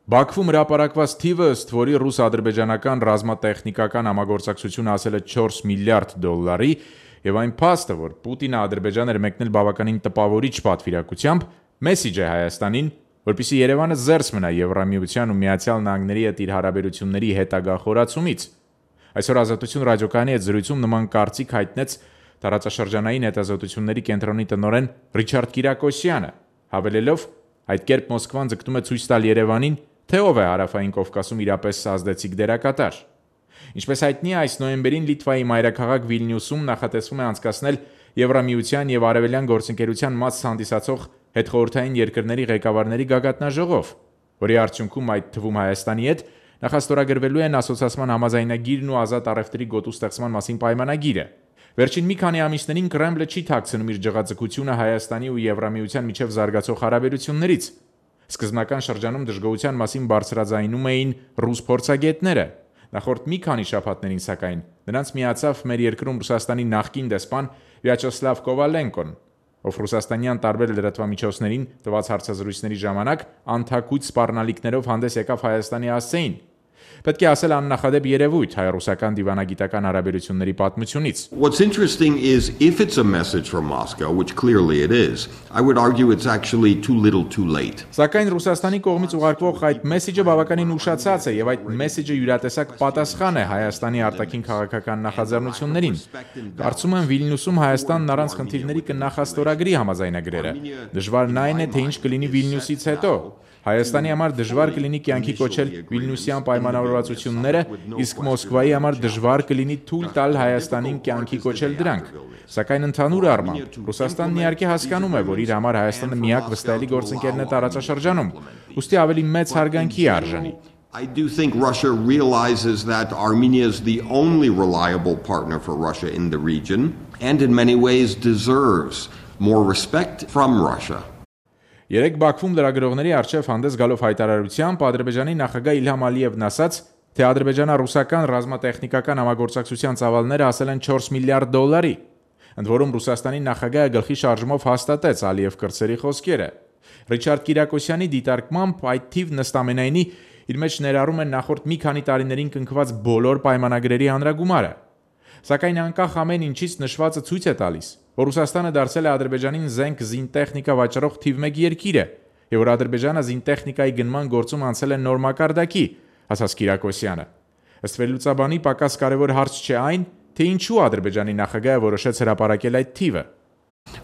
Բաքվում հրապարակված թիվը, ըստ որի ռուս-ադրբեջանական ռազմատեխնիկական համագործակցությունը հասել է 4 միլիարդ դոլարի, եւ այն փաստը, որ Պուտինը Ադրբեջան էր մեկնել բավականին տպավորիչ պատվիրակությամբ, մեսիջ է Հայաստանին, որպեսզի Երևանը զերծ մնա Եվրամիության ու Միացյալ Նահանգների հետ իր հարաբերությունների հետագա խորացումից։ Այսօր Ազատություն ռադիոկայանի հետ զրույցում նման կարծիք հայտնեց տարածաշրջանային հետազոտությունների կենտրոնի տնօրեն Ռիչարդ Կիրակոսյանը, հավելելով, այդ կերպ Մոսկվան ձգտում է ցույց տալ Երևանին, թե ով է Հարավային Կովկասում իրապես ազդեցիկ դերակատար։ Ինչպես հայտնի է, այս նոյեմբերին Լիտվայի մայրաքաղաք Վիլնյուսում նախատեսվում է անցկացնել Եվրամիության եւ Արևելյան գործընկերության մաս հանդիսացող հետխորհրդային երկրների ղեկավարների գագաթնաժողով, որի արդյունքում այդ թվում Հայաստանի հետ նախաստորագրվելու են ասոցիացիան համաձայնագիրն ու ազատ առևտրի գոտու ստեղծման մասին պայմանագիրը։ Վերջին մի քանի ամիսներին Կրեմլը չի թաքցնում իր ջղաձգությունը Հայաստանի ու Եվրամիության միջև զարգացող հարաբերություններից։ Սկզբնական շրջանում դժգոհության մասին բարձրաձայնում էին ռուս փորձագետները։ Նախորդ մի քանի շաբաթներին, սակայն, նրանց միացավ մեր երկրում Ռուսաստանի նախկին դեսպան Վյաչեսլավ Կովալենկոն, ով ռուսաստանյան տարբեր լրատվամիջոցներին տված հարցազրույցների ժամանակ անթաքույց սպառնալիքներով հանդես եկավ Հայաստանի հասցեին։ Պետք է ասել աննախադեպ երևույթ հայ-ռուսական դիվանագիտական հարաբերությունների պատմությունից։ What's interesting is if it's a message from Moscow, which clearly it is, I would argue it's actually too little too late. Սակայն Ռուսաստանի կողմից ուղարկվող այդ մեսեջը բավականին ուշացած է եւ այդ մեսեջը յուրատեսակ պատասխան է Հայաստանի արտաքին քաղաքական նախաձեռնություններին։ Կարծում եմ Վիլնյուսում Հայաստանն առանց խնդիրների կնախաստորագրի համաձայնագրերը։ Դժվարն այն է, թե ինչ կլինի Վիլնյուսից հետո։ Հայաստանի համար դժվար կլինի կյանքի կոչել Վիլնյուսյան պայմանավորվածությունները, իսկ Մոսկվայի համար դժվար կլինի թույլ տալ Հայաստանին կյանքի կոչել դրանք։ Սակայն ընդհանուր առմամբ Ռուսաստանն իհարկե հասկանում է, որ իր համար Հայաստանը միակ վստահելի գործընկերն է տարածաշրջանում, ուստի ավելի մեծ հարգանքի է արժանի։ I do think Russia realizes that Armenia is the only reliable partner for Russia in the region and in many ways deserves more respect from Russia. Երեք Բաքվում լրագրողների առջև հանդես գալով հայտարարությամբ Ադրբեջանի նախագահ Իլհամ Ալիևն ասաց, թե ադրբեջանա-ռուսական ռազմատեխնիկական համագործակցության ծավալները հասել են 4 միլիարդ դոլարի։ Ընդ որում Ռուսաստանի նախագահը գլխի շարժումով հաստատեց Ալիև կրծերի խոսքերը։ Ռիչարդ Կիրակոսյանի դիտարկմամբ այդ թիվն ըստ ամենայնի իր մեջ ներառում է նախորդ մի քանի տարիներին կնքված բոլոր պայմանագրերի հանրագումարը։ Սակայն անկախ ամեն ինչից նշվածը ցույց է տալիս, որ Ռուսաստանը դարձել է Ադրբեջանին զենք զինտեխնիկա վաճառող թիվ 1 երկիրը, եւ որ Ադրբեջանը զինտեխնիկայի գնման գործում անցել է նոր մակարդակի, ասաց Կիրակոսյանը։ Ըստ վերլուծաբանի պակաս կարևոր հարց չէ այն, թե ինչու Ադրբեջանի նախագահը որոշեց հրապարակել այդ թիվը։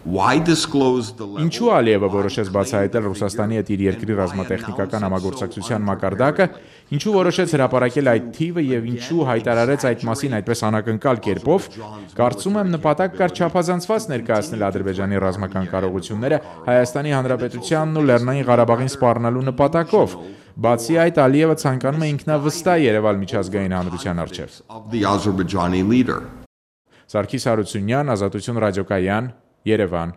Why disclose the level? Ինչու Ալիևը որոշեց բացահայտել Ռուսաստանի հետ իր երկրի ռազմատեխնիկական համագործակցության մակարդակը, ինչու որոշեց հրապարակել այդ թիվը եւ ինչու հայտարարեց այդ մասին այդպես անակնկալ կերպով, կարծում եմ նպատակ կար չափազանցված ներկայացնել Ադրբեջանի ռազմական կարողությունները Հայաստանի Հանրապետությանն ու Լեռնային Ղարաբաղին սպառնալու նպատակով։ Բացի այդ, Ալիևը ցանկանում է ինքնավստահ երևալ միջազգային հանրության առջև։ The Azerbaijani leader. Սարգիս Հարությունյան, Ազատություն ռադիոկայան, Երևան։